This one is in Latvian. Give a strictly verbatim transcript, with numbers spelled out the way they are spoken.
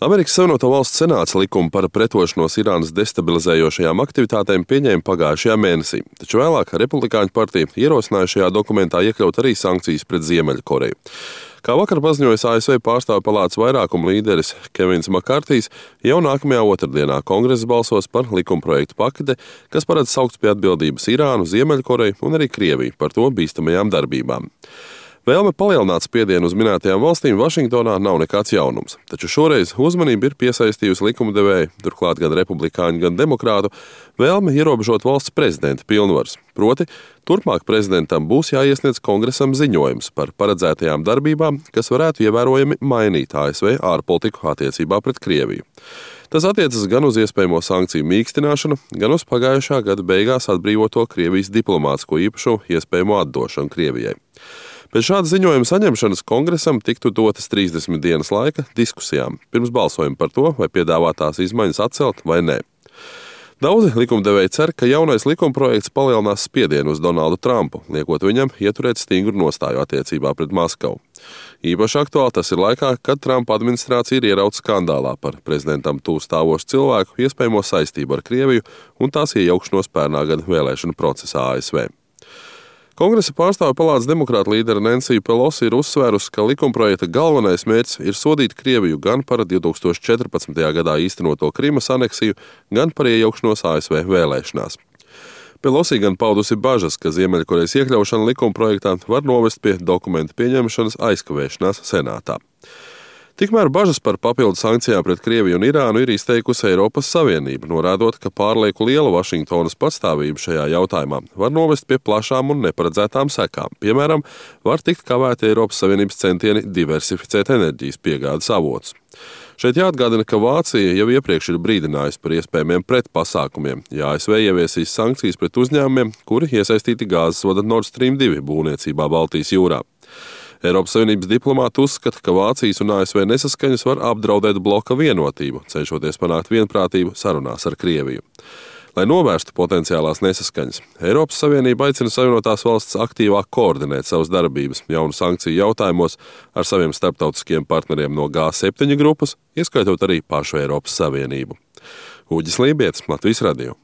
Amerikas Savienoto Valstu Senāts likumu par pretošanos Irānas destabilizējošajām aktivitātēm pieņēma pagājušajā mēnesī, taču vēlāk Republikāņu partija ierosināja šajā dokumentā iekļaut arī sankcijas pret Ziemeļkoreju. Kā vakar paziņojis A S V pārstāvju palātas vairākuma līderis Kevins Makartijs, jau nākamajā otrdienā Kongress balsos par likumprojektu paketi, kas paredz saukt pie atbildības Irānu, Ziemeļkoreju un arī Krieviju par to bīstamajām darbībām. Vēlme palielināt spiedienu uz minētajām valstīm Vašingtonā nav nekāds jaunums, taču šoreiz uzmanību ir piesaistījusi likumdevēja, turklāt gan republikāņu, gan demokrātu, vēlme ierobežot valsts prezidenta pilnvaras. Proti, turpmāk prezidentam būs jāiesniedz Kongresam ziņojums par paredzētajām darbībām, kas varētu ievērojami mainīt A S V ārpolitiku attiecībā pret Krieviju. Tas attiecas gan uz iespējamo sankciju mīkstināšanu, gan uz pagājušā gada beigās atbrīvoto Krievijas diplomātsko īpašumu iespējamo atdošanu Krievijai. Pēc šāda ziņojuma saņemšanas Kongresam tiktu dotas trīsdesmit dienas laika diskusijām, pirms balsojuma par to, vai piedāvātās izmaiņas atcelt vai nē. Daudzi likumdevēji cer, ka jaunais likumprojekts palielinās spiedienu uz Donaldu Trumpu, liekot viņam ieturēt stingru nostāju attiecībā pret Maskavu. Īpaši aktuāli tas ir laikā, kad Trumpa administrācija ir ierauta skandālā par prezidentam tuvu stāvošu cilvēku iespējamo saistību ar Krieviju un tās iejaukšanos pērnā gada vēlēšanu procesā A S V. Kongresa pārstāvju palātas demokrāta līdere Nancy Pelosi ir uzsvērusi, ka likumprojekta galvenais mērķis ir sodīt Krieviju gan par divs tūkstoš četrpadsmitajā gadā īstenoto Krimas aneksiju, gan par iejaukšanos A S V vēlēšanās. Pelosi gan paudusi bažas, ka Ziemeļkorejas iekļaušana likumprojektā var novest pie dokumentu pieņemšanas aizkavēšanās Senātā. Tikmēr bažas par papildu sankcijām pret Krieviju un Irānu ir izteikusi Eiropas Savienība, norādot, ka pārlieku liela Vašingtonas patstāvība šajā jautājumā var novest pie plašām un neparedzētām sekām. Piemēram, var tikt kavēti Eiropas Savienības centieni diversificēt enerģijas piegādes avotus. Šeit jāatgādina, ka Vācija jau iepriekš ir brīdinājusi par iespējamiem pretpasākumiem, ja A S V ieviesīs sankcijas pret uzņēmumiem, kuri iesaistīti gāzes vada Nord Stream divi būvniecībā Baltijas jūrā. Eiropas Savienības diplomāti uzskata, ka Vācijas un A S V nesaskaņas var apdraudēt bloka vienotību, cenšoties panākt vienprātību sarunās ar Krieviju. Lai novērstu potenciālās nesaskaņas, Eiropas Savienība aicina Savienotās valstis aktīvāk koordinēt savas darbības jaunu sankciju jautājumos ar saviem starptautiskiem partneriem no G septiņi grupas, ieskaitot arī pašu Eiropas Savienību. Uģis Lībietis, Latvijas radio.